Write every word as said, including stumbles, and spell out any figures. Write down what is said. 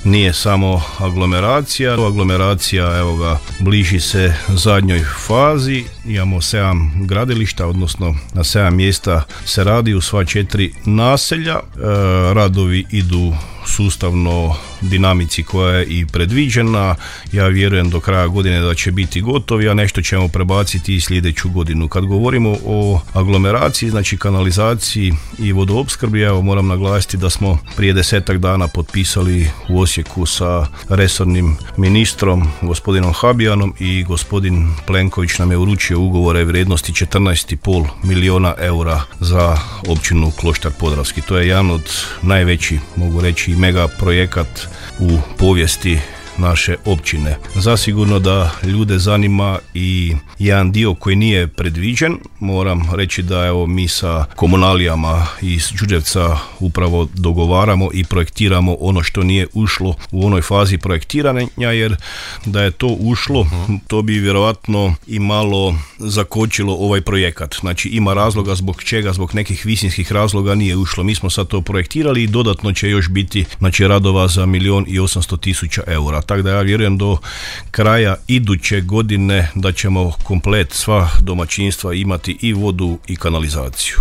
nije samo aglomeracija. Aglomeracija, evo ga, bliži se zadnjoj fazi. Imamo sedam gradilišta, odnosno na sedam mjesta se radi u sva četiri naselja. E, radovi idu sustavno dinamici koja je i predviđena. Ja vjerujem do kraja godine da će biti gotovi, a nešto ćemo prebaciti i sljedeću godinu. Kad govorimo o aglomeraciji, znači kanalizaciji i vodoopskrbi, evo moram naglasiti da smo prije desetak dana potpisali u Osijeku sa resornim ministrom, gospodinom Habijanom, i gospodin Plenković nam je uručio ugovore vrijednosti četrnaest i pol milijuna eura za općinu Kloštar Podravski. To je jedan od najveći, mogu reći, mega projekat u povijesti naše općine. Zasigurno da ljude zanima i jedan dio koji nije predviđen. Moram reći da evo mi sa komunalijama iz Đurđevca upravo dogovaramo i projektiramo ono što nije ušlo u onoj fazi projektiranja, jer da je to ušlo, uh-huh. to bi vjerojatno i malo zakočilo ovaj projekat. Znači ima razloga zbog čega, zbog nekih visinskih razloga nije ušlo. Mi smo sad to projektirali i dodatno će još biti, znači, radova za milijon i osamsto tisuća eura. Tako da ja vjerujem do kraja iduće godine da ćemo komplet sva domaćinstva imati i vodu i kanalizaciju.